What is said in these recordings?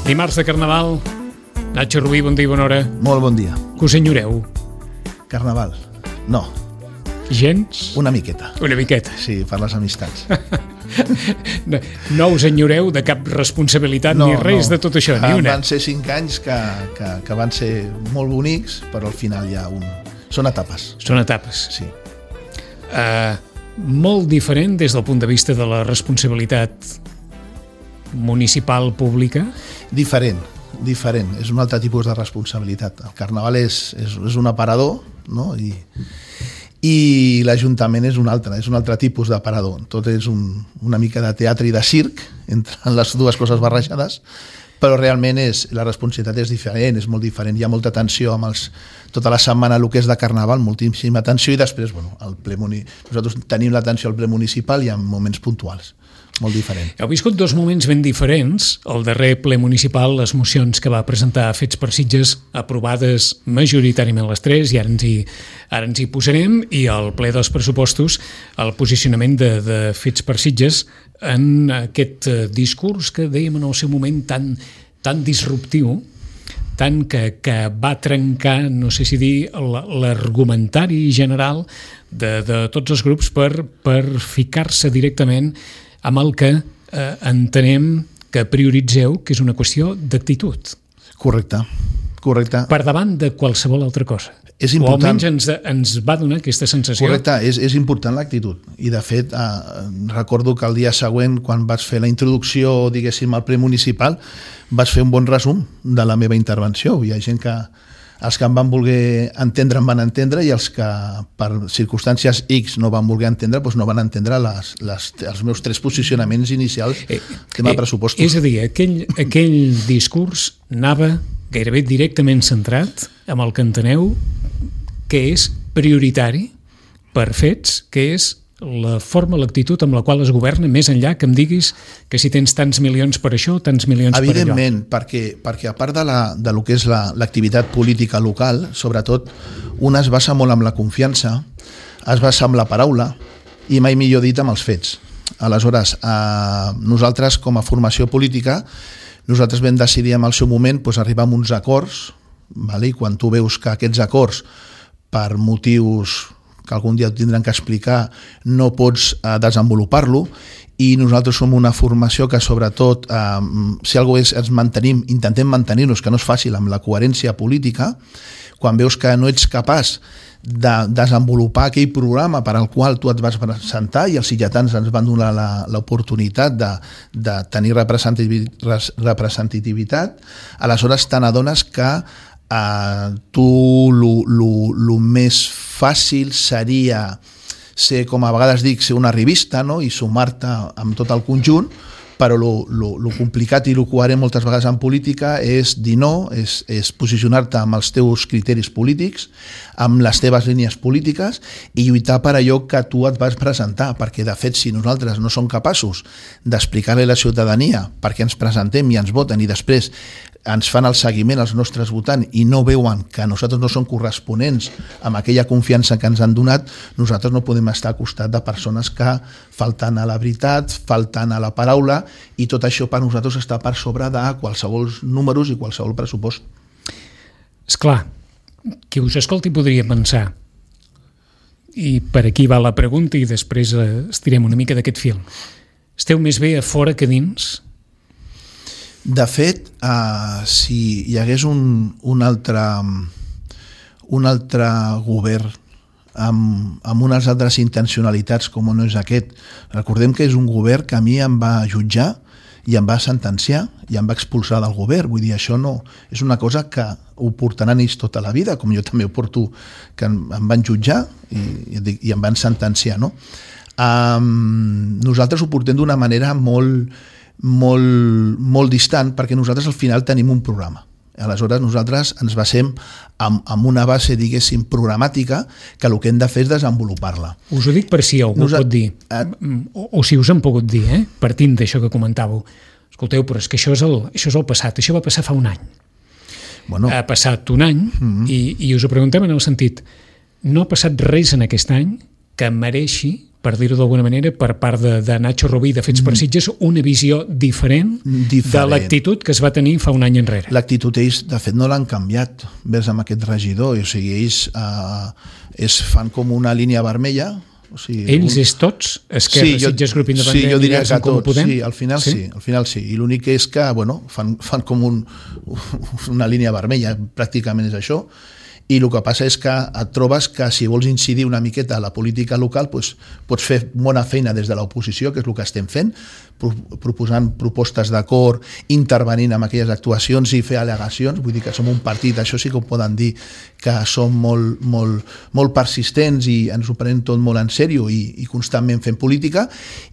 Dimarts de Carnaval. Nacho Rubí, bon dia i bona hora. Molt bon dia. Que us enyoreu? Carnaval? No. Gens? Una miqueta. Una miqueta. Sí, per les amistats. No us enyoreu de cap responsabilitat ni res de tot això, ni una. Van ser 5 anys que van ser molt bonics, però al final hi ha un... Són etapes. Són etapes. Sí. Molt diferent des del punt de vista de la responsabilitat municipal pública? Diferent. És un altre tipus de responsabilitat. El Carnaval és un aparador, no? I l'Ajuntament és un altre tipus d'aparador. Tot és una mica de teatre i de circ, entre les dues coses barrejades, però realment la responsabilitat és diferent, és molt diferent. Hi ha molta tensió amb tota la setmana el que és de Carnaval, moltíssima tensió, i després, nosaltres tenim l'atenció al ple municipal i en moments puntuals. Molt diferent. Heu viscut dos moments ben diferents. El darrer ple municipal, les mocions que va presentar Fets per Sitges, aprovades majoritàriament les 3, i ara ens hi posarem, i el ple dels pressupostos, el posicionament de Fets per Sitges en aquest discurs que dèiem en el seu moment tan disruptiu, tant que va trencar, no sé si dir, l'argumentari general de tots els grups per ficar-se directament amb el que entenem que prioritzeu, que és una qüestió d'actitud. Correcte. Per davant de qualsevol altra cosa. És important. O almenys ens va donar aquesta sensació. Correcte, és important l'actitud. I de fet, recordo que el dia següent, quan vaig fer la introducció, diguéssim, al ple municipal, vaig fer un bon resum de la meva intervenció. Hi ha gent que els que em van voler entendre em van entendre, i els que per circumstàncies X no van voler entendre, doncs no van entendre els meus 3 posicionaments inicials tema de pressupostos. És a dir, aquell discurs anava gairebé directament centrat amb el que enteneu que és prioritari per Fets, que és la forma, l'actitud amb la qual es governa, més enllà que em diguis que si tens tants milions per això, tants milions per allò. Evidentment, perquè a part de lo que és l'activitat política local, sobretot, una es basa molt amb la confiança, es basa amb la paraula, i mai millor dit amb els fets. Aleshores, nosaltres com a formació política, nosaltres vam decidir en el seu moment arribar a uns acords, i quan tu veus que aquests acords, per motius que algun dia tindran que explicar, no pots desenvolupar-lo, i nosaltres som una formació que sobretot, si alguna cosa ens mantenim, intentem mantenir-nos, que no és fàcil amb la coherència política, quan veus que no ets capaç de desenvolupar aquell programa per al qual tu et vas presentar, i els sitgetans ens van donar l'oportunitat de tenir representativitat, aleshores te n'adones que tu el més fàcil seria ser, com a vegades dic, ser una revista, no? I sumar-te amb tot el conjunt, però el complicat i el coherent moltes vegades en política és dir no, és posicionar-te amb els teus criteris polítics, amb les teves línies polítiques, i lluitar per allò que tu et vas presentar, perquè de fet si nosaltres no som capaços d'explicar-li a la ciutadania per què ens presentem i ens voten, i després ens fan el seguiment als nostres votants i no veuen que nosaltres no som corresponents amb aquella confiança que ens han donat, nosaltres no podem estar al costat de persones que falten a la veritat, falten a la paraula, i tot això per nosaltres està per sobre de qualsevol números i qualsevol pressupost. Esclar, qui us escolti podria pensar, i per aquí va la pregunta i després estirem una mica d'aquest fil, esteu més bé a fora que dins? De fet, si hi hagués un altre govern amb unes altres intencionalitats com no és aquest, recordem que és un govern que a mi em va jutjar i em va sentenciar i em va expulsar del govern. Vull dir, això no és una cosa que ho portaran ells tota la vida, com jo també ho porto, que em van jutjar i em van sentenciar, no? Nosaltres ho portem d'una manera molt distant, perquè nosaltres al final tenim un programa. Aleshores nosaltres ens basem en una base, diguéssim, programàtica, que el que hem de fer és desenvolupar-la. Us ho dic per si algú pot dir, o si us han pogut dir, partint d'això que comentàveu. Escolteu, però és que això és el passat, això va passar fa un any. Ha passat un any, i us ho preguntem en el sentit, no ha passat res en aquest any que mereixi per dir-ho d'alguna manera, per part de Nacho Rubí de Fets per Sitges, una visió diferent de l'actitud que es va tenir fa un any enrere. L'actitud ells, de fet, no l'han canviat vers amb aquest regidor, o sigui, ells fan com una línia vermella. O sigui, ells és tots? Esquerra, Sitges, Grup Independent, sí, jo diria que tots, Podem? Sí, al final sí. I l'únic és que, bueno, fan com una línia vermella, pràcticament és això. I el que passa és que et trobes que si vols incidir una miqueta a la política local doncs pots fer bona feina des de l'oposició, que és el que estem fent, proposant propostes d'acord, intervenint en aquelles actuacions i fer al·legacions. Vull dir que som un partit, això sí que ho poden dir, que som molt persistents i ens ho prenem tot molt en sèrio i constantment fem política,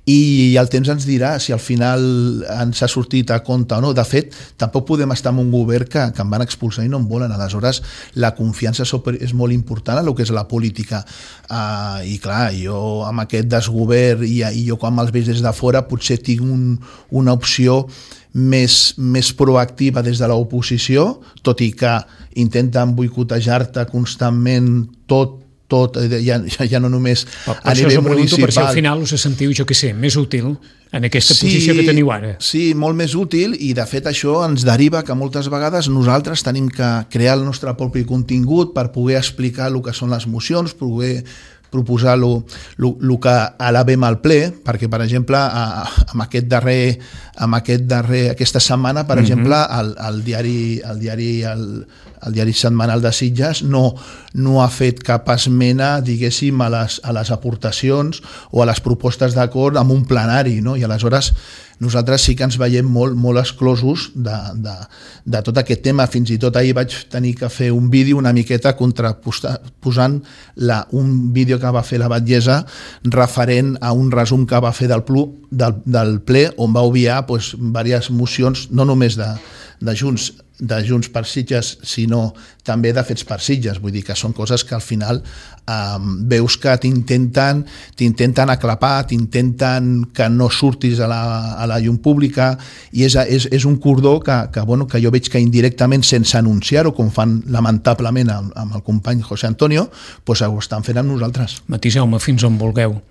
i el temps ens dirà si al final ens ha sortit a compte o no. De fet, tampoc podem estar en un govern que em van expulsar i no em volen. Aleshores, la confiança és molt important en el que és la política. I clar, jo amb aquest desgovern i jo quan me'ls veig des de fora potser tinc una opció més proactiva des de l'oposició, tot i que intenten boicotejar-te constantment tot, ja no només a nivell municipal. Per si al final us sentiu, jo què sé, més útil en aquesta posició que teniu ara. Sí, molt més útil, i de fet això ens deriva que moltes vegades nosaltres tenim que crear el nostre propi contingut per poder explicar el que són les mocions, poder proposar el que elevem al ple, perquè, per exemple, aquesta setmana, per exemple, el diari setmanal de Sitges no ha fet cap esmena, diguéssim, a les aportacions o a les propostes d'acord amb un plenari, no? I aleshores nosaltres sí que ens veiem molt exclosos de tot aquest tema. Fins i tot ahir vaig tenir que fer un vídeo una miqueta posant un vídeo que va fer la batllessa referent a un resum que va fer del ple, on va obviar diverses mocions, no només de Junts per Sitges, sinó també de Fets per Sitges. Vull dir que són coses que al final veus que t'intenten aclapar, t'intenten que no surtis a la llum pública, i és un cordó que jo veig que indirectament, sense anunciar-ho, com fan lamentablement amb el company José Antonio, ho estan fent amb nosaltres. Matiseu-me fins on vulgueu.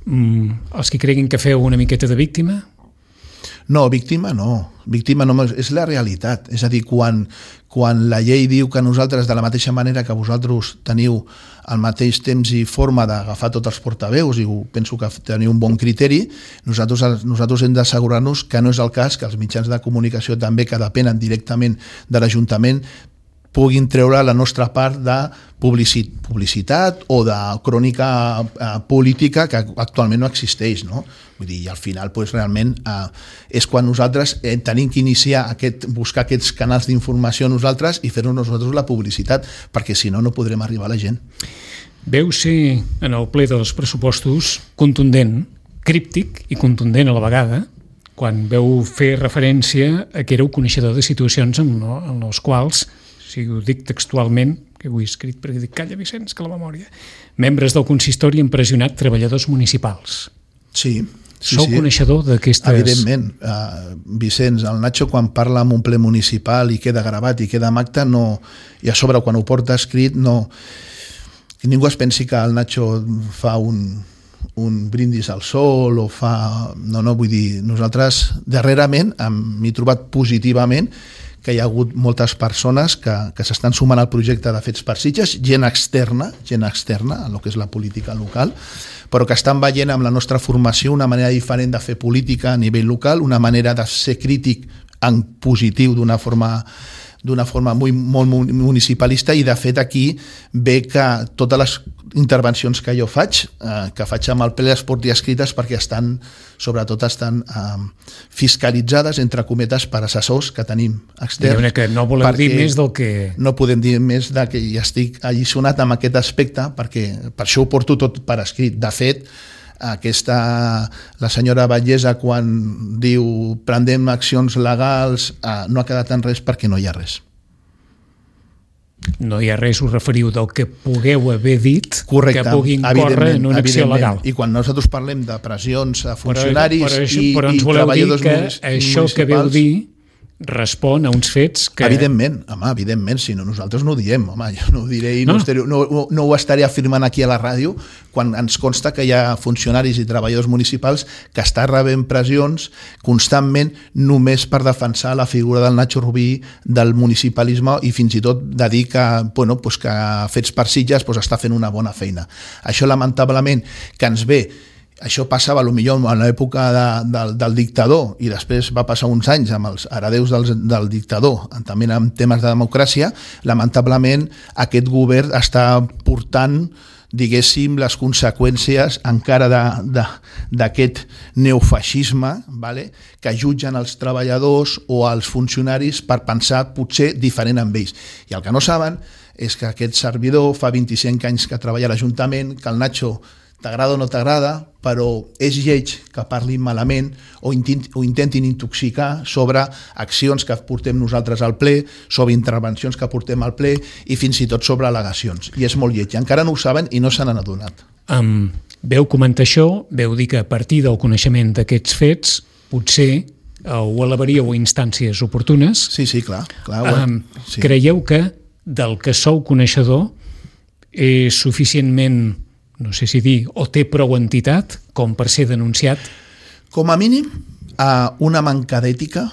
Els que creguin que feu una miqueta de víctima? No, víctima no, és la realitat. És a dir, quan la llei diu que nosaltres, de la mateixa manera que vosaltres teniu al mateix temps i forma d'agafar tots els portaveus, i penso que teniu un bon criteri, nosaltres hem d'assegurar-nos que no és el cas, que els mitjans de comunicació també, que depenen directament de l'Ajuntament, puguin treure la nostra part de publicitat o de crònica política que actualment no existeix, no? Vull dir, i al final realment és quan nosaltres tenim que buscar aquests canals d'informació nosaltres i fer-nos nosaltres la publicitat, perquè si no podrem arribar a la gent. Veu ser en el ple dels pressupostos contundent, críptic i contundent a la vegada, quan veu fer referència a que éreu coneixedor de situacions en les quals, si ho dic textualment, que ho he escrit perquè dic, calla Vicenç, que la memòria, membres del consistori han pressionat treballadors municipals. Sí. Sou coneixedor d'aquestes... Evidentment. Vicenç, el Nacho, quan parla en un ple municipal i queda gravat i queda en acte, i a sobre quan ho porta escrit, que ningú es pensi que el Nacho fa un brindis al sol o fa... No, vull dir, nosaltres darrerament m'he trobat positivament que hi ha hagut moltes persones que s'estan sumant al projecte de Fets per Sitges, gent externa a el que és la política local, però que estan veient amb la nostra formació una manera diferent de fer política a nivell local, una manera de ser crític en positiu d'una forma molt municipalista, i de fet aquí ve que totes les intervencions que jo faig, amb el ple, les porti escrites perquè sobretot estan fiscalitzades, entre cometes, per assessors que tenim externs. Que no volem dir més del que... No podem dir més de que ja estic alliçonat amb aquest aspecte, perquè per això ho porto tot per escrit. De fet, la senyora Batllessa, quan diu prendem accions legals, no ha quedat en res perquè no hi ha res. No hi ha res, us referiu del que pugueu haver dit. Correcte, que puguin córrer en una acció legal. I quan nosaltres parlem de pressions a funcionaris però ens voleu dir que això que veu dir respon a uns fets que... Evidentment, si no nosaltres no ho diem, jo no ho diré i no ho estaré afirmant aquí a la ràdio quan ens consta que hi ha funcionaris i treballadors municipals que estan rebent pressions constantment només per defensar la figura del Nacho Rubí, del municipalisme i fins i tot de dir que, que Fets per Sitges està fent una bona feina. Això lamentablement que ens ve. Això passava potser en l'època del dictador i després va passar uns anys amb els heredeus del dictador, també en temes de democràcia. Lamentablement aquest govern està portant, diguéssim, les conseqüències encara d'aquest neofeixisme, que jutgen els treballadors o els funcionaris per pensar potser diferent amb ells. I el que no saben és que aquest servidor fa 25 anys que treballa a l'Ajuntament, que el Nacho t'agrada o no t'agrada, però és lleig que parlin malament o intentin intoxicar sobre accions que portem nosaltres al ple, sobre intervencions que portem al ple i fins i tot sobre al·legacions. I és molt lleig. Encara no ho saben i no se n'han adonat. Veu comentar això, veu dir que a partir del coneixement d'aquests fets potser ho elevaríeu a instàncies oportunes. Sí, clar. Sí. Creieu que del que sou coneixedor és suficientment, no sé si dir, o té prou entitat com per ser denunciat? Com a mínim, una manca d'ètica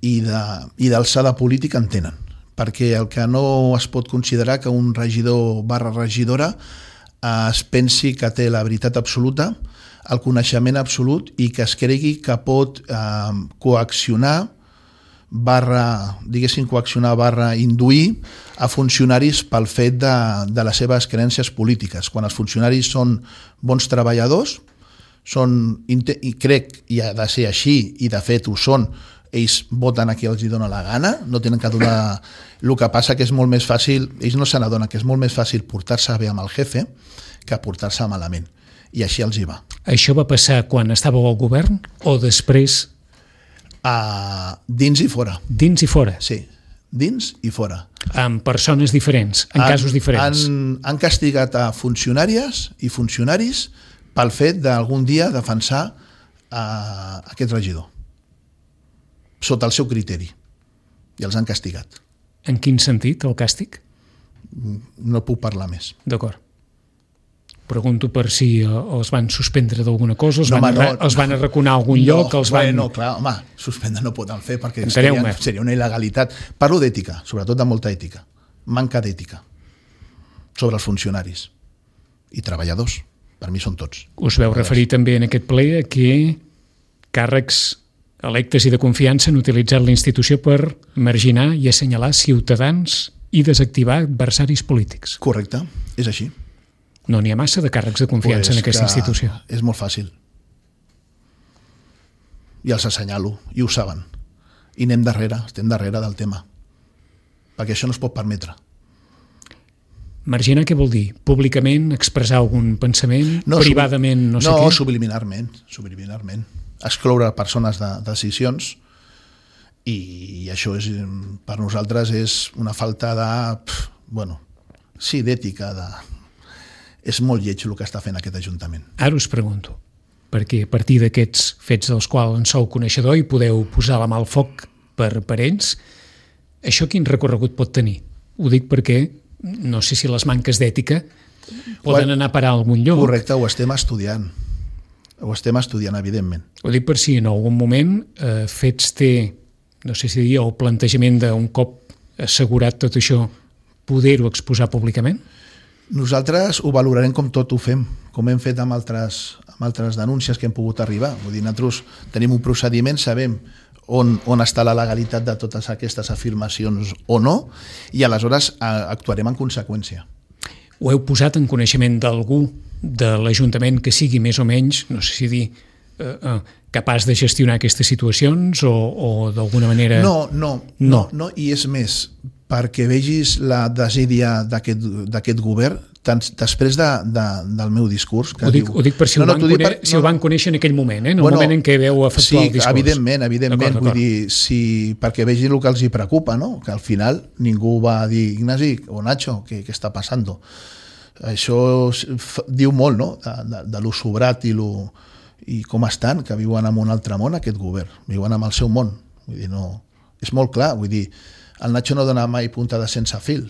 i d'alçada política en tenen. Perquè el que no es pot considerar que un regidor / regidora es pensi que té la veritat absoluta, el coneixement absolut i que es cregui que pot coaccionar induir a funcionaris pel fet de les seves creences polítiques. Quan els funcionaris són bons treballadors, i crec i ha de ser així, i de fet ho són, ells voten a qui els dona la gana, no tenen que donar... El que passa que és molt més fàcil, ells no se n'adonen que és molt més fàcil portar-se bé amb el jefe que portar-se malament. I així els hi va. Això va passar quan estàveu al govern o després? Dins i fora. Dins i fora? Sí, dins i fora. Amb persones diferents, en casos diferents? Han castigat a funcionàries i funcionaris pel fet d'algun dia defensar aquest regidor sota el seu criteri i els han castigat. En quin sentit, el càstig? No puc parlar més. D'acord. Pregunto per si els van suspendre d'alguna cosa, els van arraconar a algun lloc, clar, suspendre no poden fer perquè seria una il·legalitat. Parlo d'ètica, sobretot de molta ètica, manca d'ètica sobre els funcionaris i treballadors, per mi són tots. Us veu referir també en aquest ple a que càrrecs electes i de confiança han utilitzat la institució per marginar i assenyalar ciutadans i desactivar adversaris polítics. Correcte, és així. No n'hi ha massa de càrrecs de confiança en aquesta institució. És molt fàcil. I els assenyalo, i ho saben. I estem darrere del tema. Perquè això no es pot permetre. Marginar què vol dir? Públicament expressar algun pensament? Privadament no sé què? No, subliminarment. Excloure persones de decisions i això per nosaltres és una falta d'ètica, és molt lleig el que està fent aquest Ajuntament. Ara us pregunto, perquè a partir d'aquests fets dels quals en sou coneixedor i podeu posar la mà al foc per ells, això quin recorregut pot tenir? Ho dic perquè no sé si les manques d'ètica poden anar a parar a algun lloc. Correcte, ho estem estudiant, evidentment. Ho dic per si en algun moment Fets té, no sé si dir, el plantejament d'un cop assegurat tot això, poder-ho exposar públicament? Nosaltres ho valorarem com tot ho fem, com hem fet amb altres denúncies que hem pogut arribar. Vull dir, nosaltres tenim un procediment, sabem on està la legalitat de totes aquestes afirmacions o no, i aleshores actuarem en conseqüència. Ho heu posat en coneixement d'algú de l'Ajuntament que sigui més o menys, no sé si dir, capaç de gestionar aquestes situacions o d'alguna manera... No, i és més, perquè vegis la desídia d'aquest govern, després del meu discurs... Ho dic per si ho van conèixer en aquell moment, en el moment en què veu efectuar el discurs. Sí, evidentment, vull dir, perquè vegin el que els hi preocupa, no? Que al final ningú va dir, Ignasi o Nacho, què està passant? Això diu molt, no?, de lo sobrat i com estan, que viuen en un altre món, aquest govern. Viuen en el seu món, Vull dir, no... És molt clar, vull dir, el Nacho no dona mai puntada sense fil,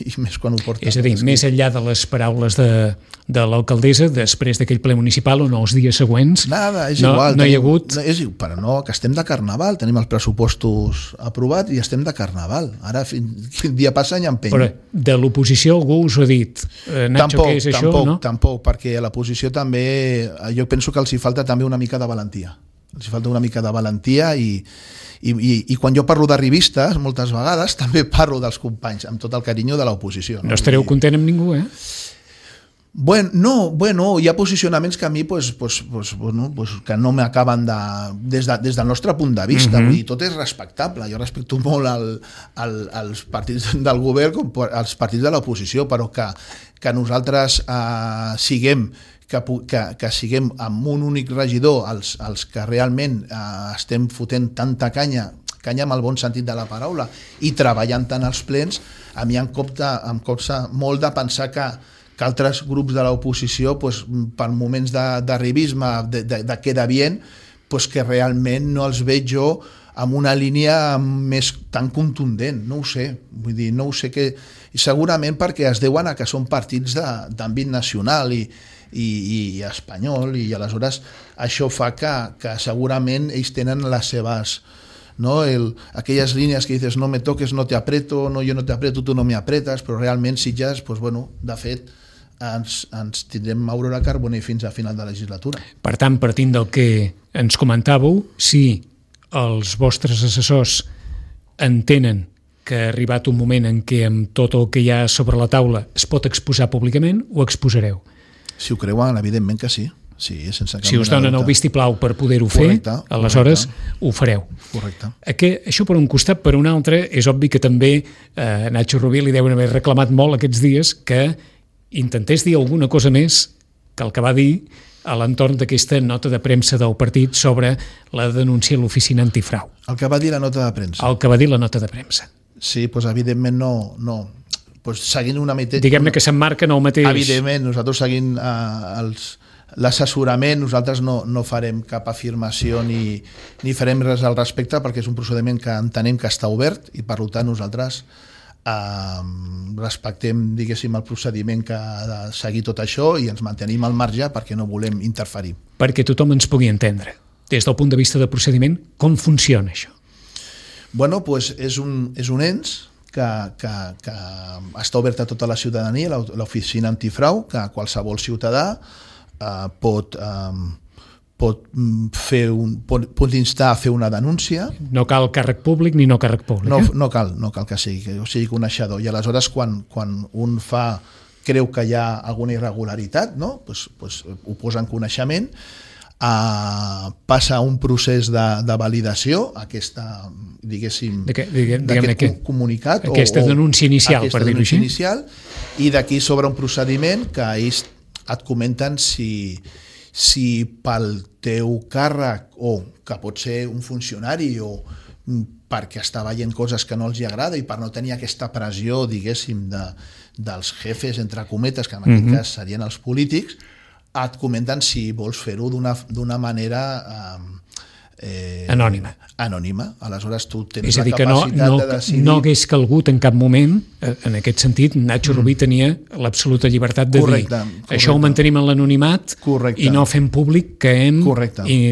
i més quan ho porta. És a dir, més enllà de les paraules de l'alcaldessa, després d'aquell ple municipal o no els dies següents, nada, és igual, no hi ha hagut... Però no, que estem de carnaval, tenim els pressupostos aprovats i estem de carnaval. Ara, quin dia passa any empeny. Però de l'oposició algú us ho ha dit? Nacho, tampoc, què és això? Tampoc, perquè a l'oposició també, jo penso que els hi falta també una mica de valentia. Els hi falta una mica de valentia i quan jo parlo de revistes, moltes vegades, també parlo dels companys, amb tot el carinyo de l'oposició. No estareu content amb ningú, eh? Bueno, hi ha posicionaments que a mi que no m'acaben des del nostre punt de vista. Vull dir, tot és respectable. Jo respecto molt els partits del govern com els partits de l'oposició, però que nosaltres siguem amb un únic regidor els que realment estem fotent tanta canya amb el bon sentit de la paraula i treballant tant als plens, a mi em costa molt de pensar que altres grups de l'oposició per moments d'arribisme, de queda bien, que realment no els veig jo amb una línia més tan contundent, no ho sé, vull dir, no ho sé, que segurament perquè es deuen a que són partits d'àmbit nacional i espanyol, i aleshores això fa que segurament ells tenen les seves, no? Aquelles línies que dices no me toques, no te aprieto, no, yo no te aprieto, tu no me apretes, però realment Sitges, de fet ens tindrem Aurora Carbonell fins a final de legislatura. Per tant, partint del que ens comentàveu, si els vostres assessors entenen que ha arribat un moment en què amb tot el que hi ha sobre la taula es pot exposar públicament, ho exposareu. Si ho creuen, evidentment que sí. Sí, sense cap si us donen el vistiplau per poder-ho fer, aleshores ho fareu. Correcte. Això per un costat, per un altre, és obvi que també Nacho Rubí li deuen haver reclamat molt aquests dies que intentés dir alguna cosa més que el que va dir a l'entorn d'aquesta nota de premsa del partit sobre la denúncia a l'oficina antifrau. El que va dir la nota de premsa? El que va dir la nota de premsa. Sí, evidentment no. Seguint una mica... Diguem-ne que s'emmarca en el mateix... Evidentment, nosaltres seguint l'assessorament, nosaltres no farem cap afirmació ni farem res al respecte, perquè és un procediment que entenem que està obert i per tant nosaltres respectem, diguéssim, el procediment que ha de seguir tot això i ens mantenim al marge perquè no volem interferir. Perquè tothom ens pugui entendre, des del punt de vista de procediment, com funciona això? Bueno, és un ens que està obert a tota la ciutadania, l'oficina antifrau, que qualsevol ciutadà pot instar a fer una denúncia. No cal càrrec públic ni no càrrec públic. No cal que sigui coneixedor. I aleshores, quan un creu que hi ha alguna irregularitat, no? Ho posa en coneixement, passa un procés de validació, aquesta, diguéssim, d'aquest comunicat, aquesta denúncia inicial, per dir-ho així, i d'aquí s'obre un procediment que ells et comenten si pel teu càrrec, o que pot ser un funcionari, o perquè està veient coses que no els agrada i per no tenir aquesta pressió, diguéssim, dels jefes, entre cometes, que en aquest cas serien els polítics, et comenten si vols fer-ho d'una manera anònima. Aleshores tu tens la capacitat de decidir... No hagués calgut en cap moment, en aquest sentit, Nacho Rubí tenia l'absoluta llibertat de dir això ho mantenim en l'anonimat i no fem públic que hem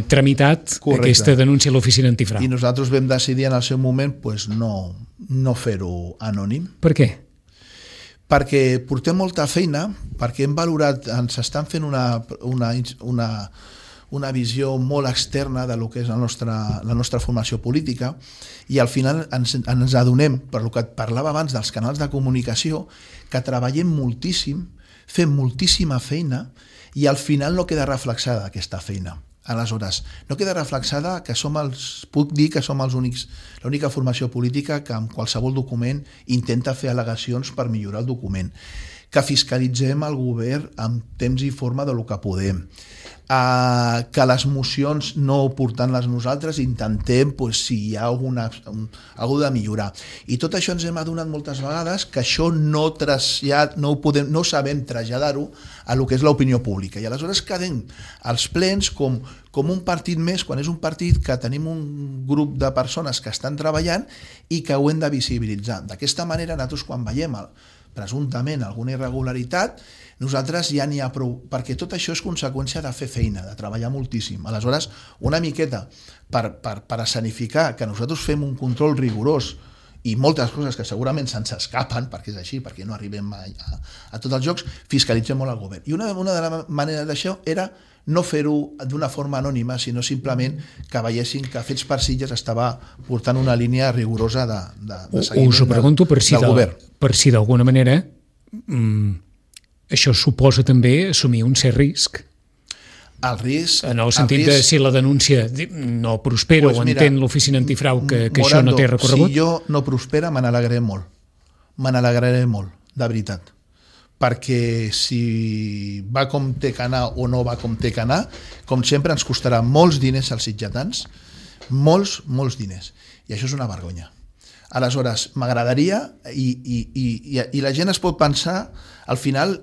tramitat aquesta denúncia a l'oficina antifrau. I nosaltres vam decidir en el seu moment no fer-ho anònim. Per què? Perquè portem molta feina, perquè hem valorat, ens estan fent una visió molt externa de lo que és la nostra formació política, i al final ens adonem, per lo que et parlava abans dels canals de comunicació, que treballem moltíssim, fem moltíssima feina i al final no queda reflexada aquesta feina. Aleshores, no queda reflexada que puc dir que som l'única formació política que amb qualsevol document intenta fer al·legacions per millorar el document, que fiscalitzem el govern amb temps i forma del que podem, que les mocions no portant-les nosaltres intentem si hi ha alguna de millorar, i tot això ens hem adonat moltes vegades que això no sabem traslladar-ho a lo que és l'opinió pública, i aleshores quedem als plens com un partit més, quan és un partit que tenim un grup de persones que estan treballant i que ho hem de visibilitzar. D'aquesta manera nosaltres quan veiem presumptament alguna irregularitat, nosaltres ja n'hi ha prou, perquè tot això és conseqüència de fer feina, de treballar moltíssim. Aleshores, una miqueta per escenificar que nosaltres fem un control rigorós i moltes coses que segurament se'ns escapen, perquè és així, perquè no arribem a tots els jocs, fiscalitzem molt el govern. I una de les maneres d'això era no fer-ho d'una forma anònima, sinó simplement que veiessin que Fets per Sitges estava portant una línia rigorosa de seguiment us ho pregunto del govern. Per si d'alguna manera això suposa també assumir un cert risc. El risc... En el sentit de si la denúncia no prospera o entén l'oficina antifrau que això no té recorregut. Si jo no prospera, me n'alegraré molt. Me n'alegraré molt, de veritat. Perquè si va com té que anar o no va com té que anar, com sempre ens costarà molts diners als sitgetans, molts diners. I això és una vergonya. Aleshores, m'agradaria, i la gent es pot pensar, al final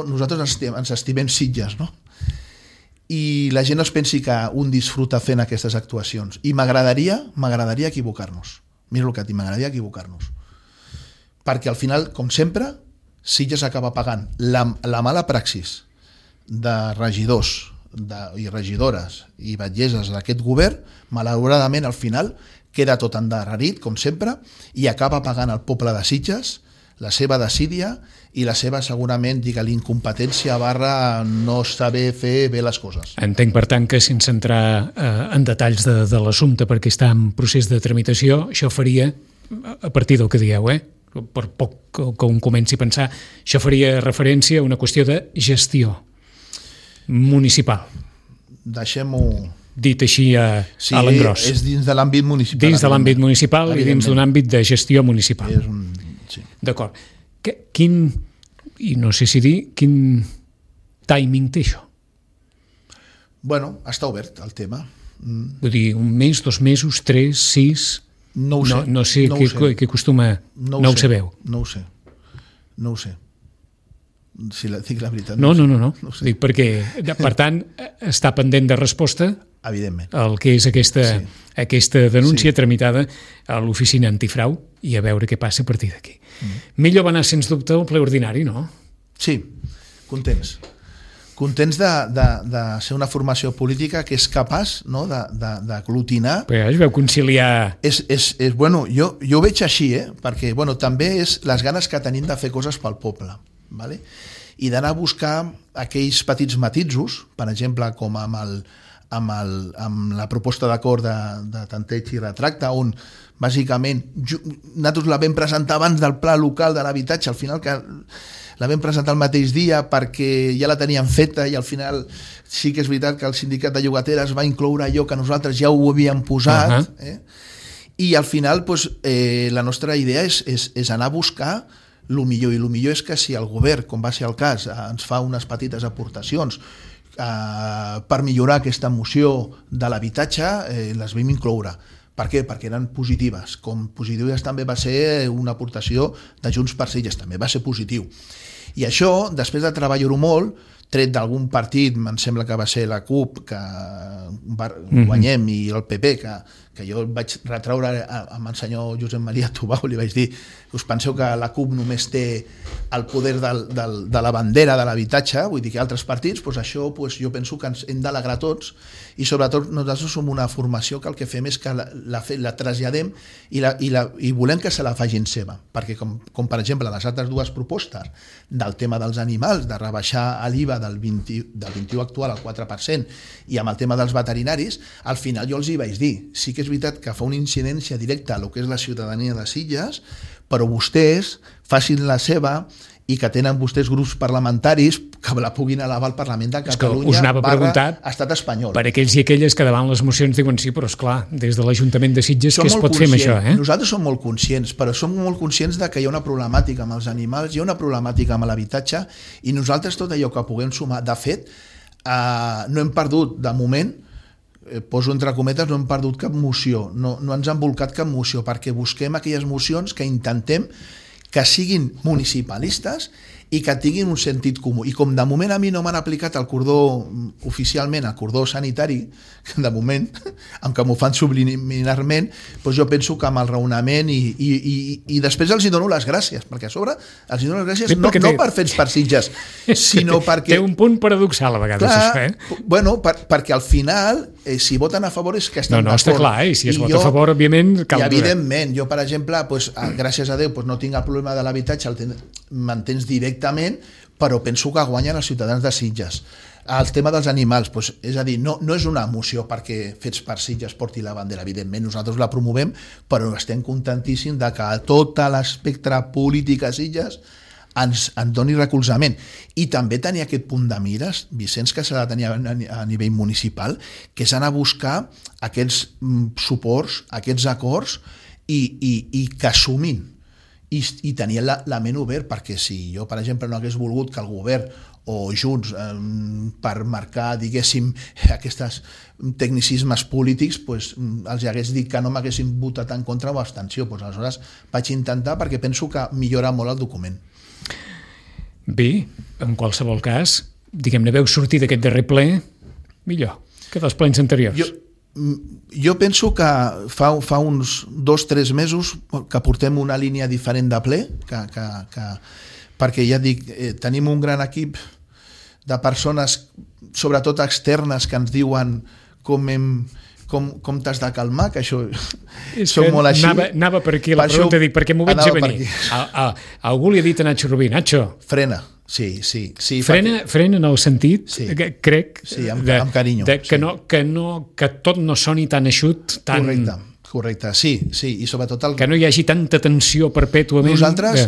nosaltres ens estimem Sitges, no? I la gent no es pensi que un disfruta fent aquestes actuacions. I m'agradaria equivocar-nos. Mira el que et dic, m'agradaria equivocar-nos. Perquè al final, com sempre, Sitges acaba pagant la mala praxis de regidors i regidores i batlleses d'aquest govern, malauradament al final queda tot endarrerit, com sempre, i acaba pagant el poble de Sitges la seva desídia i la seva, segurament, digue-li, incompetència / no saber fer bé les coses. Entenc, per tant, que sense entrar en detalls de l'assumpte perquè està en procés de tramitació, això faria, a partir del que dieu, per poc que un comenci a pensar, això faria referència a una qüestió de gestió municipal. Deixem-ho... Dit així a l'engròs. Sí, és dins de l'àmbit municipal. Dins de l'àmbit municipal i dins d'un àmbit de gestió municipal. Sí. D'acord. I no sé si dir, quin timing té això? Bueno, està obert el tema. Vull dir, 1 mes, 2 mesos, 3, 6... No ho sé. No sé què acostuma... No ho sabeu. No ho sé. Si dic la veritat. No. Dic perquè, per tant, està pendent de resposta, evidentment, el que és aquesta denúncia tramitada a l'oficina antifrau i a veure què passa a partir d'aquí. Millor va anar, sens dubte, al ple ordinari, no? Sí, contents de ser una formació política que és capaç, no, d'aglutinar. Però es veu conciliar... Bueno, jo ho veig així, perquè també és les ganes que tenim de fer coses pel poble, ¿vale? I d'anar a buscar aquells petits matisos, per exemple, com amb la proposta d'acord de tanteig i retracte, on bàsicament nosaltres la vam presentar abans del pla local de l'habitatge, al final que la vam presentar el mateix dia perquè ja la teníem feta i al final sí que és veritat que el sindicat de llogateres va incloure allò que nosaltres ja ho havíem posat, i al final la nostra idea és anar a buscar el millor, i el millor és que si el govern, com va ser el cas, ens fa unes petites aportacions per millorar aquesta moció de l'habitatge, les vam incloure. Per què? Perquè eren positives. Com positives també va ser una aportació de Junts per Sitges, també va ser positiu. I això, després de treballar-ho molt, tret d'algun partit, em sembla que va ser la CUP, que guanyem, i el PP, que jo vaig retraure amb el senyor Josep Maria Tubau, li vaig dir, us penseu que la CUP només té el poder de la bandera de l'habitatge, vull dir que altres partits, això jo penso que ens hem d'alegrar tots, i sobretot nosaltres som una formació que el que fem és que la traslladem i volem que se la facin seva, perquè com per exemple les altres dues propostes del tema dels animals, de rebaixar l'IVA del 21 actual al 4%, i amb el tema dels veterinaris, al final jo els hi vaig dir, sí que és veritat que fa una incidència directa a lo que és la ciutadania de Sitges, però vostès facin la seva i que tenen vostès grups parlamentaris que la puguin elevar al Parlament de Catalunya estat espanyol. Per aquells i aquelles que davant les mocions diuen sí, però esclar, des de l'Ajuntament de Sitges què es pot fer amb això? Nosaltres som molt conscients, però som molt conscients de que hi ha una problemàtica amb els animals, hi ha una problemàtica amb l'habitatge, i nosaltres tot allò que puguem sumar, de fet, no hem perdut, de moment, poso entre cometes, no hem perdut cap moció, no ens han volcat cap moció, perquè busquem aquelles mocions que intentem que siguin municipalistes i que tinguin un sentit comú. I com de moment a mi no m'han aplicat el cordó oficialment, el cordó sanitari, de moment, aunque m'ho fan subliminarment, doncs jo penso que amb el raonament i després els hi dono les gràcies, perquè a sobre els hi dono les gràcies no per fets per Sitges, sinó perquè... Té un punt paradoxal a vegades, clar, això, Bueno, perquè al final, si voten a favor és que estan d'acord. No, està clar, i si es vota a favor, òbviament, cal... I evidentment, jo, per exemple, gràcies a Déu, no tinc el problema de l'habitatge, m'entens directament, però penso que guanyen els ciutadans de Sitges. El tema dels animals, és a dir, no és una moció perquè Fets per Sitges porti la bandera, evidentment, nosaltres la promovem, però estem contentíssims de que tot l'espectre polític a Sitges ens doni recolzament. I també tenir aquest punt de mires, Vicenç, que s'ha de tenir a nivell municipal, que és anar a buscar aquests suports, aquests acords i que assumin i tenir la ment obert, perquè si jo, per exemple, no hagués volgut que el govern o Junts, per marcar, diguéssim, aquests tecnicismes polítics, els hagués dit que no m'haguessin votat en contra o abstenció. Aleshores vaig intentar, perquè penso que millora molt el document. Bé, en qualsevol cas, diguem-ne, veu sortir d'aquest darrer ple millor que dels plens anteriors. Jo penso que fa uns 2-3 mesos que portem una línia diferent de ple, perquè ja dic, tenim un gran equip de persones, sobretot externes, que ens diuen com t'has de calmar, que això som molt així. Anava per aquí la pregunta, dic, perquè m'ho veig a venir. Algú li ha dit a Nacho Rubí, Nacho... Frena, sí. Frena en el sentit, crec, amb carinyo. Que tot no soni tan eixut, tan... Correcte, sí, i sobretot... Que no hi hagi tanta tensió perpètuament. Nosaltres,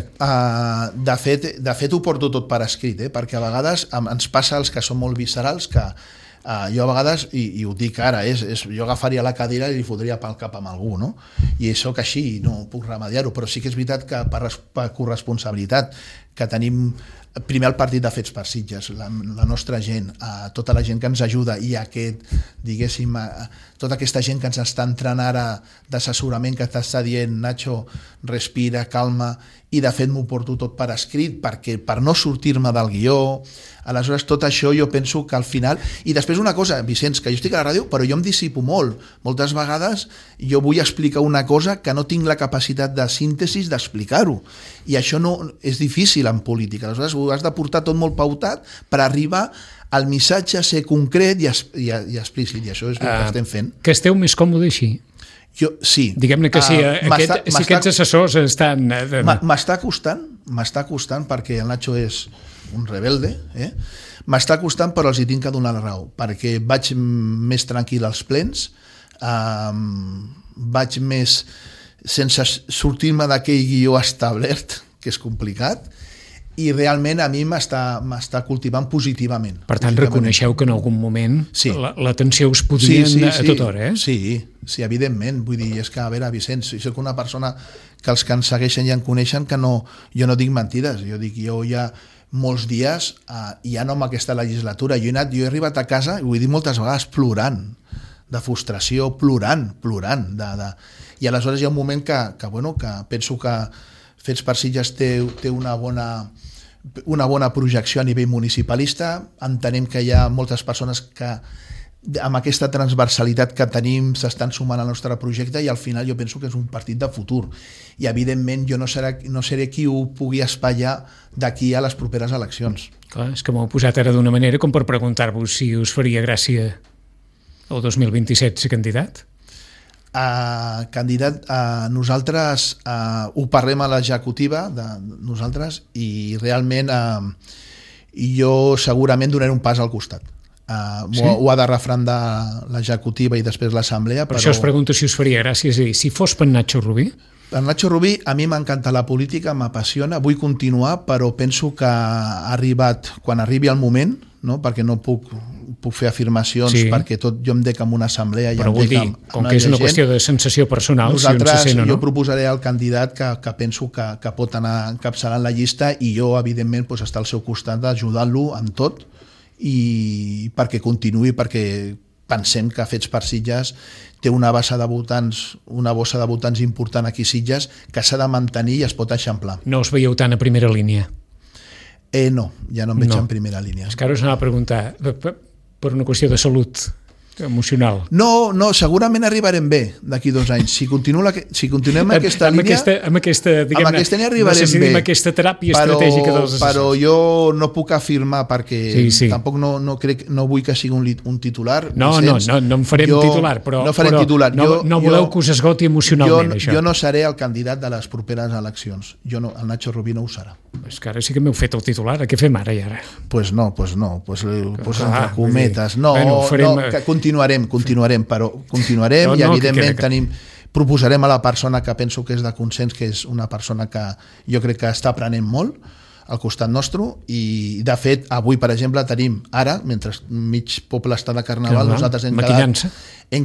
de fet, ho porto tot per escrit, perquè a vegades ens passa als que són molt viscerals que jo a vegades, i ho dic ara, jo agafaria la cadira i li fotria pel cap amb algú, no? I soc així, no puc remediar-ho, però sí que és veritat que per corresponsabilitat que tenim primer el partit de Fets per Sitges, la nostra gent, tota la gent que ens ajuda i diguéssim, tota aquesta gent que ens està entrant ara d'assessorament que t'està dient, Nacho, respira, calma, i de fet m'ho porto tot per escrit per no sortir-me del guió. Aleshores tot això jo penso que al final, i després una cosa, Vicenç, que jo estic a la ràdio però jo em dissipo molt, moltes vegades jo vull explicar una cosa que no tinc la capacitat de síntesi d'explicar-ho, i això no és difícil en política. Aleshores ho has de portar tot molt pautat per arribar al missatge, ser concret i explícit, i això és el que estem fent. Que esteu més còmode així? Sí. Diguem-ne que si aquests assessors estan... M'està costant perquè el Nacho és un rebelde, m'està costant, però els hi tinc que donar la raó, perquè vaig més tranquil als plens, vaig més sense sortir-me d'aquell guió establert, que és complicat, i realment a mi m'està cultivant positivament. Per tant, reconeixeu que en algun moment la tensió us podia a tota hora, Sí, evidentment. Vull dir, és que, a veure, Vicenç, soc una persona que els que ens segueixen i em coneixen que jo no dic mentides. Jo hi ha molts dies, i ja no amb aquesta legislatura, jo he arribat a casa, i ho he dit moltes vegades, plorant, de frustració, plorant. I aleshores hi ha un moment que penso que Fets per Sitges té una bona projecció a nivell municipalista. Entenem que hi ha moltes persones que amb aquesta transversalitat que tenim s'estan sumant al nostre projecte, i al final jo penso que és un partit de futur, i evidentment jo no seré qui ho pugui espatllar d'aquí a les properes eleccions. Clar, és que m'ho heu posat ara d'una manera com per preguntar-vos si us faria gràcia el 2027 ser candidat? Candidat, nosaltres ho parlem a l'executiva de nosaltres, i realment jo segurament donaré un pas al costat. ho ha de refrendar l'executiva i després l'assemblea. Per això us pregunto si us faria gràcia, és a dir, si fos per Nacho Rubí. Per Nacho Rubí, a mi m'encanta la política, m'apassiona, vull continuar, però penso que ha arribat, quan arribi el moment, no? Perquè no puc fer afirmacions, perquè tot jo em dec amb una assemblea i però em vull dec dir, com que és una qüestió de sensació personal, nosaltres, si un se sent o no. Jo proposaré el candidat que penso que pot anar encapçalant la llista i jo, evidentment, estar al seu costat ajudant-lo en tot i perquè continuï, perquè pensem que Fets per Sitges té una bossa de votants important aquí a Sitges que s'ha de mantenir i es pot eixamplar. No us veieu tant a primera línia? No, ja no em veig en primera línia. És que ara us anava a preguntar, per una qüestió de salut emocional. No, segurament arribarem bé d'aquí 2 anys. Si continuem aquesta línia... Amb aquesta línia arribarem bé. Amb aquesta teràpia estratègica dels assessors. Però jo no puc afirmar perquè tampoc no vull que sigui un titular. No en farem titular, però no voleu que us esgoti emocionalment, això. Jo no seré el candidat de les properes eleccions. El Nacho Rubí no ho serà. És que ara sí que m'heu fet el titular. Què fem ara i ara? Pues no. Entre cometes. Continuarem, però continuarem i evidentment proposarem a la persona que penso que és de consens, que és una persona que jo crec que està aprenent molt al costat nostre i de fet avui per exemple tenim ara, mentre mig poble està de carnaval, nosaltres hem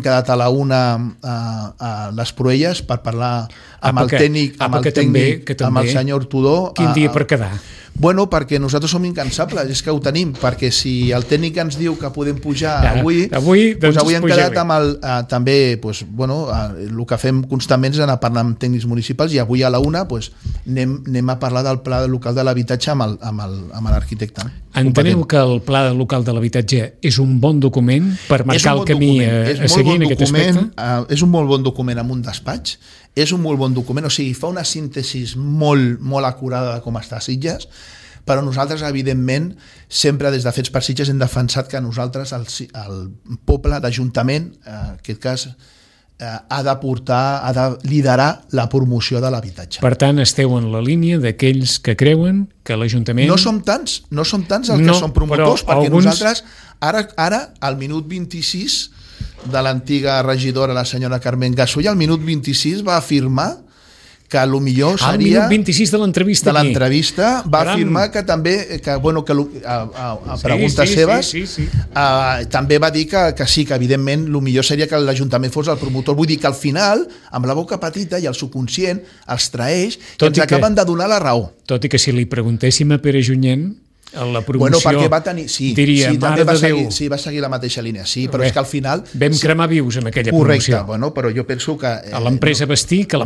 quedat a la 1 a les Proelles per parlar amb el tècnic, amb el senyor Tudó. Quin dia per quedar? Bueno, perquè nosaltres som incansables, és que ho tenim, perquè si el tècnic ens diu que podem pujar avui hem quedat amb també, el que fem constantment és anar parlant amb tècnics municipals i avui a la 1 anem a parlar del pla local de l'habitatge amb l'arquitecte. Enteneu que el pla local de l'habitatge és un bon document per marcar el camí a seguir en aquest aspecte? És un molt bon document amb un despatx, és un molt bon document, o sigui, fa una síntesi molt, molt acurada de com està Sitges, però nosaltres, evidentment, sempre des de Fets per Sitges hem defensat que nosaltres, el poble, l'Ajuntament, en aquest cas, ha de liderar la promoció de l'habitatge. Per tant, esteu en la línia d'aquells que creuen que l'Ajuntament... No som tants els que som promotors, perquè nosaltres, ara, al minut 26... de l'antiga regidora, la senyora Carmen Gasull, al minut 26 va afirmar que el millor seria... Al minut 26 de l'entrevista va afirmar que també, a preguntes seves, també va dir que sí, que evidentment el millor seria que l'Ajuntament fos el promotor. Vull dir que al final, amb la boca petita i el subconscient, els traeix i ens acaben de donar la raó. Tot i que si li preguntéssim a Pere Junyent, la promoció, perquè va tenir, diria, també va seguir la mateixa línia, però és que al final... Vam cremar vius en aquella promoció. Correcte, però jo penso que... A l'empresa Bastí, va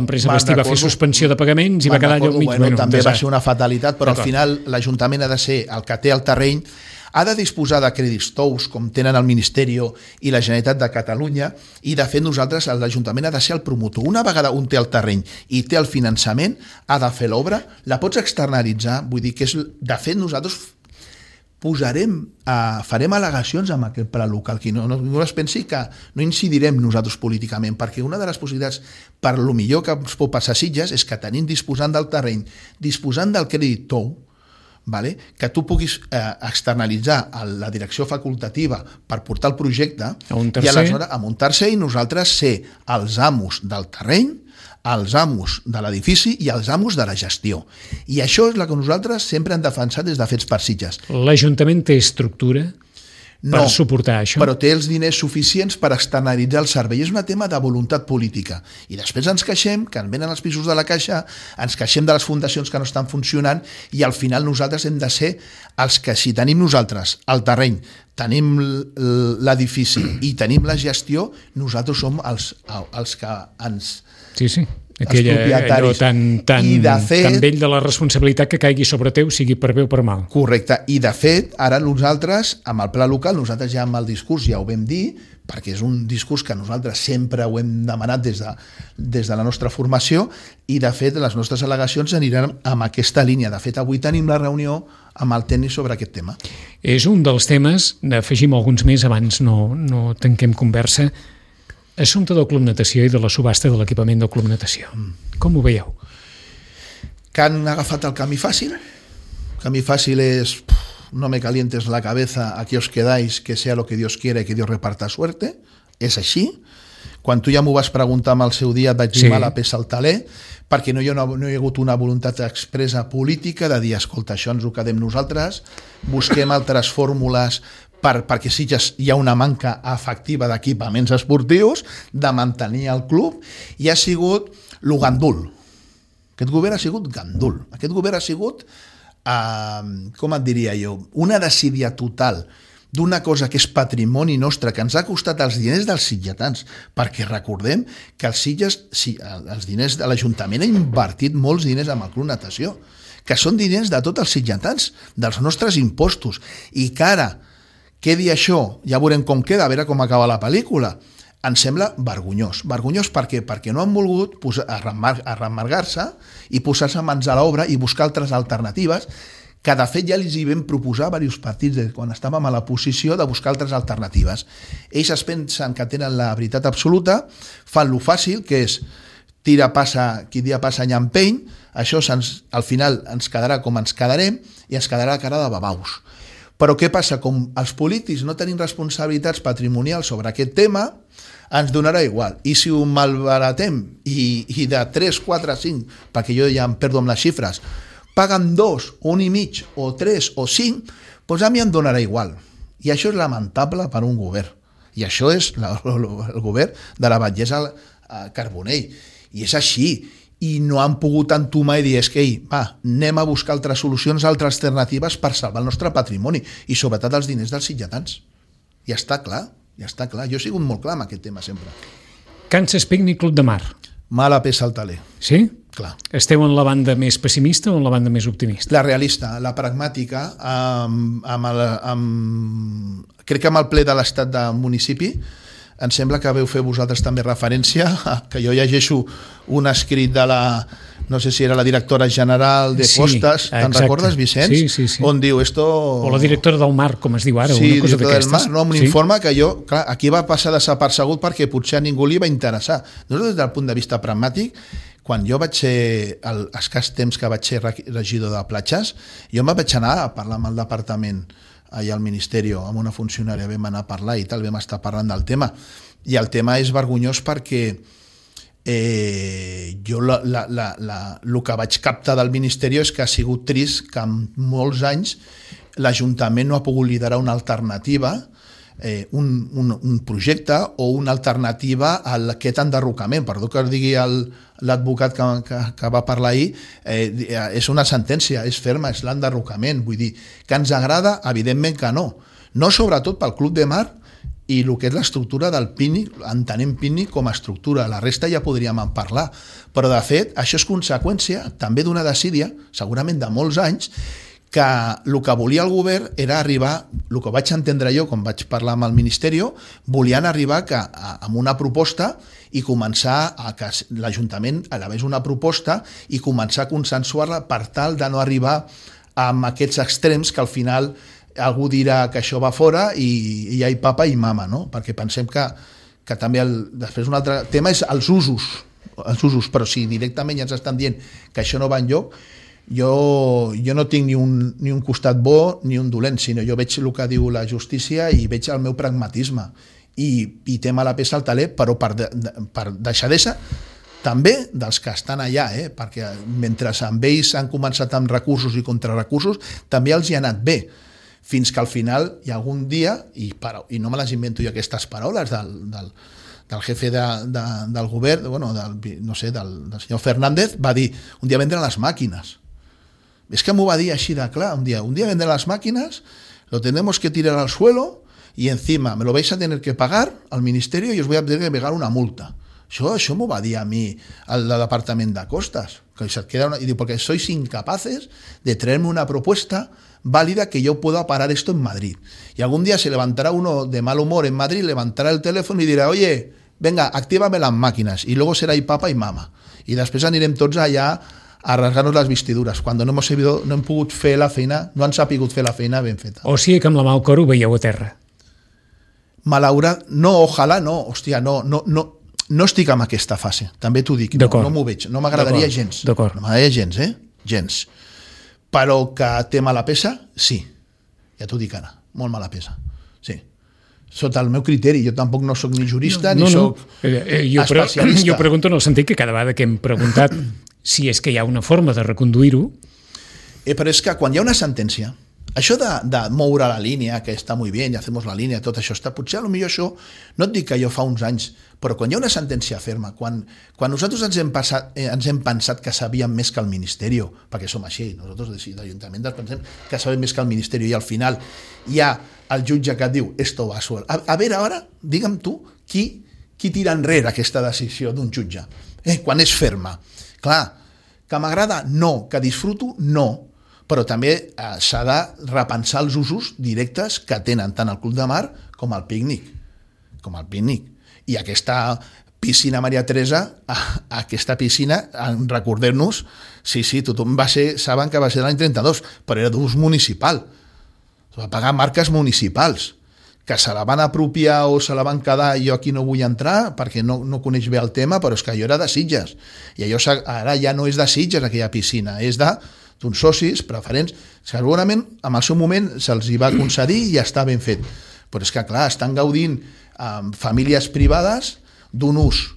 fer suspensió de pagaments i va quedar allò mig... També va ser una fatalitat, però al final l'Ajuntament ha de ser el que té el terreny, ha de disposar de crèdits tous, com tenen el Ministeri i la Generalitat de Catalunya, i de fet nosaltres, l'Ajuntament ha de ser el promotor. Una vegada un té el terreny i té el finançament, ha de fer l'obra, la pots externalitzar, vull dir que és... De fet, nosaltres farem al·legacions amb aquest pla local, que no es pensi que no incidirem nosaltres políticament, perquè una de les possibilitats per lo millor que ens pot passar a Sitges és que tenim disposant del terreny, disposant del crèdit tou, que tu puguis externalitzar a la direcció facultativa per portar el projecte i aleshores a un tercer i nosaltres ser els amos del terreny, els amos de l'edifici i els amos de la gestió. I això és el que nosaltres sempre hem defensat des de Fets per Sitges. L'Ajuntament té estructura per suportar això? Però té els diners suficients per externalitzar el servei. És un tema de voluntat política. I després ens queixem, que ens venen els pisos de la Caixa, ens queixem de les fundacions que no estan funcionant i al final nosaltres hem de ser els que, si tenim nosaltres el terreny, tenim l'edifici i tenim la gestió, nosaltres som els que ens... Sí. Allò tan vell de la responsabilitat que caigui sobre teu, sigui per bé o per mal. Correcte, i de fet ara nosaltres amb el pla local, nosaltres ja amb el discurs ja ho vam dir, perquè és un discurs que nosaltres sempre ho hem demanat des de la nostra formació i de fet les nostres al·legacions aniran amb aquesta línia. De fet avui tenim la reunió amb el tècnic sobre aquest tema. És un dels temes, n'afegim alguns més abans no tanquem conversa. Assumpte del Club Natació i de la subhasta de l'equipament del Club Natació. Com ho veieu? Que han agafat el camí fàcil. El camí fàcil és no me calientes la cabeza, aquí os quedáis, que sea lo que Dios quiera i que Dios reparta suerte. És així. Quan tu ja m'ho vas preguntar amb el seu dia, et vaig dir mala peça al taler, perquè no hi ha hagut una voluntat expressa política de dir, escolta, això ens ho quedem nosaltres, busquem altres fórmules perquè sí que hi ha una manca efectiva d'equipaments esportius, de mantenir el club, i ha sigut lo gandul. Aquest govern ha sigut gandul. Aquest govern ha sigut, com et diria jo, una desídia total d'una cosa que és patrimoni nostre, que ens ha costat els diners dels sitgetans, perquè recordem que els Sitges, els diners de l'Ajuntament ha invertit molts diners amb el Club Natació, que són diners de tots els sitgetans, dels nostres impostos, i que ara quedi això, ja veurem com queda, a veure com acaba la pel·lícula, em sembla vergonyós. Vergonyós per què? Perquè no han volgut arremargar-se i posar-se mans a l'obra i buscar altres alternatives, que de fet ja els hi vam proposar a diversos partits quan estàvem a la posició de buscar altres alternatives. Ells es pensen que tenen la veritat absoluta, fan lo fàcil, que és tira, passa, qui dia passa any empeny, això al final ens quedarà com ens quedarem i ens quedarà la cara de babaus. Però què passa? Com els polítics no tenim responsabilitats patrimonials sobre aquest tema, ens donarà igual. I si ho malbaratem i de 3, 4, 5, perquè jo ja em perdo amb les xifres, paguen 2, 1,5, o 3, o 5, doncs a mi em donarà igual. I això és lamentable per un govern. I això és el govern de la batllessa Carbonell. I és així. I no han pogut entomar i dir, és que, anem a buscar altres solucions, altres alternatives per salvar el nostre patrimoni i sobretot els diners dels sitgetans. Ja està clar, ja està clar. Jo he sigut molt clar amb aquest tema sempre. Kansas Picnic Club de Mar. Mala peça al taler. Sí? Clar. Esteu en la banda més pessimista o en la banda més optimista? La realista, la pragmàtica, crec que amb el ple de l'estat del municipi em sembla que veu fer vosaltres també referència, que jo llegeixo un escrit de la, no sé si era la directora general de Costas, te'n recordes, Vicenç? Sí. On diu esto... O la directora del Mar, com es diu ara, sí, una cosa d'aquestes. No, un informe que jo, clar, aquí va passar desapercegut perquè potser a ningú li va interessar. Nosaltres, des del punt de vista pragmàtic, quan jo vaig ser, el escàs temps que vaig ser regidor de platges, jo em vaig anar a parlar amb el departament allà al Ministeri, amb una funcionària, vam anar a parlar i tal, vam estar parlant del tema. I el tema és vergonyós perquè jo el que vaig captar del Ministeri és que ha sigut trist que en molts anys l'Ajuntament no ha pogut liderar una alternativa, un projecte o una alternativa a aquest enderrocament. Perdó que digui l'advocat que va parlar ahir, és una sentència, és ferma, és l'enderrocament. Vull dir, que ens agrada? Evidentment que no. No sobretot pel Club de Mar i el que és l'estructura del pícnic, entenem pícnic com a estructura, la resta ja podríem en parlar, però de fet això és conseqüència també d'una desídia, segurament de molts anys, que el que volia el govern era arribar, el que vaig entendre jo quan vaig parlar amb el Ministeri, volien arribar amb una proposta i començar a que l'Ajuntament elevés una proposta i començar a consensuar-la per tal de no arribar amb aquests extrems que al final algú dirà que això va fora i hi ha papa i mama, no? Perquè pensem que també després un altre tema és els usos, però si directament ja ens estan dient que això no va enlloc, jo no tinc ni un costat bo ni un dolent, sinó jo veig el que diu la justícia i veig el meu pragmatisme i té mala peça al taler, però per deixadesa també dels que estan allà, perquè mentre amb ells han començat amb recursos i contrarecursos, també els hi ha anat bé, fins que al final hi ha algun dia, i no me les invento jo aquestes paraules del jefe del govern, del senyor Fernández, va dir, un dia vendran les màquines. Es que m'ho va dir així de clar, un día vendrán las máquinas, lo tenemos que tirar al suelo y encima me lo vais a tener que pagar al ministerio y os voy a tener que pagar una multa. Això m'ho va dir a mi al departament de Costas, que se queda y digo, porque sois incapaces de traerme una propuesta válida que yo pueda parar esto en Madrid. Y algún día se levantará uno de mal humor en Madrid, levantará el teléfono y dirá, oye, venga, actívame las máquinas, y luego será papa y mama. I després anirem tots allà a rasgar-nos les vestidures, quan no hem pogut fer la feina, no han sapigut fer la feina ben feta. O sigui que amb la mà al cor ho veieu a terra. No, ojalà no, hòstia, no estic en aquesta fase, també t'ho dic, no m'ho veig, no m'agradaria gens, no m'agradaria gens, gens, però que té mala peça, sí, ja t'ho dic ara, molt mala pesa. Sí. Sota el meu criteri, jo tampoc no sóc ni jurista ni sóc especialista. Jo pregunto en el sentit que cada vegada que hem preguntat si és que hi ha una forma de reconduir-ho... Però és que quan hi ha una sentència, això de moure la línia, que està molt bé, ja hacemos la línia, tot això està... Potser potser això, no et dic que jo fa uns anys, però quan hi ha una sentència ferma, quan nosaltres ens hem pensat que sabíem més que el Ministeri, perquè som així, nosaltres d'Ajuntament pensem que sabem més que el Ministeri, i al final hi ha el jutge que et diu esto va suel. A veure, ara, digue'm tu, qui tira enrere aquesta decisió d'un jutge? Quan és ferma. Clar, que m'agrada? No. Que disfruto? No. Però també s'ha de repensar els usos directes que tenen tant el Club de Mar com el pícnic. I aquesta piscina Maria Teresa, aquesta piscina, recordem-nos, sí, tothom saben que va ser l'any 32, però era d'ús municipal. Es va pagar marques municipals, que se la van apropiar o se la van quedar. Jo aquí no vull entrar perquè no coneix bé el tema, però és que allò era de Sitges. I allò ara ja no és de Sitges, aquella piscina, és d'uns socis preferents. Segurament, en el seu moment, se'ls hi va concedir i ja està ben fet. Però és que, clar, estan gaudint famílies privades d'un ús,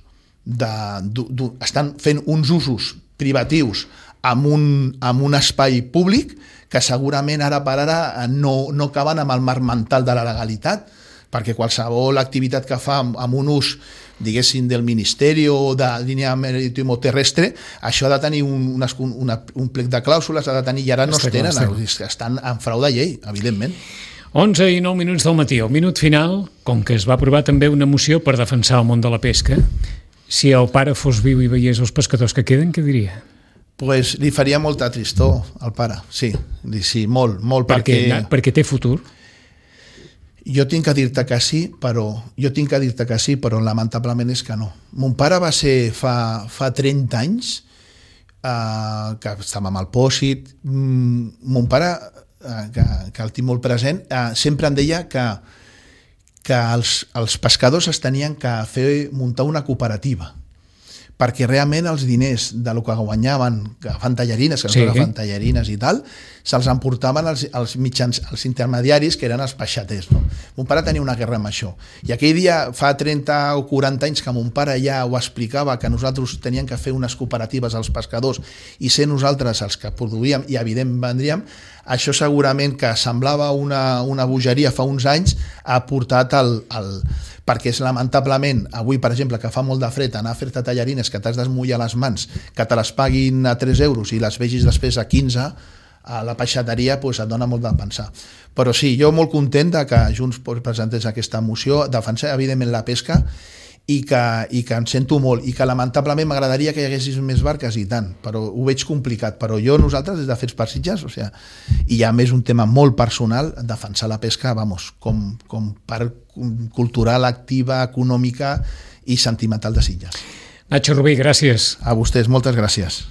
estan fent uns usos privatius amb un espai públic que segurament ara per ara no acaben amb el marc mental de la legalitat, perquè qualsevol activitat que fa amb un ús, diguéssim, del Ministeri o de línia marítima terrestre, això ha de tenir un plec de clàusules, ha de tenir, i ara no es tenen, estan en frau de llei, evidentment. 11 i 9 minuts del matí. Al minut final, com que es va aprovar també una moció per defensar el món de la pesca, si el pare fos viu i veiés els pescadors que queden, què diria? Pues li faria molta tristor al pare, sí, molt, perquè té futur. Jo tinc que dir-te que sí, però lamentablement és que no. Mon pare va ser fa 30 anys que estàvem amb el Pòsit. Mon pare, que el tinc molt present, sempre em deia que els pescadors es tenien que muntar una cooperativa, perquè realment els diners de lo que guanyaven agafant tallarines, que no agafen tallarines i tal, se'ls emportaven els mitjans, els intermediaris, que eren els peixaters. No? Mon pare tenia una guerra amb això. I aquell dia, fa 30 o 40 anys, que mon pare ja ho explicava, que nosaltres teníem que fer unes cooperatives als pescadors i ser nosaltres els que produïem i evidentment vendríem, això segurament que semblava una bogeria fa uns anys, ha portat perquè és lamentablement, avui per exemple, que fa molt de fred, anar a fer-te tallarines que t'has d'esmullar les mans, que te les paguin a 3 euros i les vegis després a 15, a la peixateria, doncs et dona molt de pensar. Però sí, jo molt content que Junts presentés aquesta moció, defensar evidentment la pesca, i que em sento molt, i que lamentablement m'agradaria que hi haguessis més barques i tant, però ho veig complicat. Però nosaltres, des de Fets per Sitges, i ja més un tema molt personal, defensar la pesca, com part cultural, activa, econòmica i sentimental de Sitges. Nacho Rubí, gràcies. A vostès, moltes gràcies.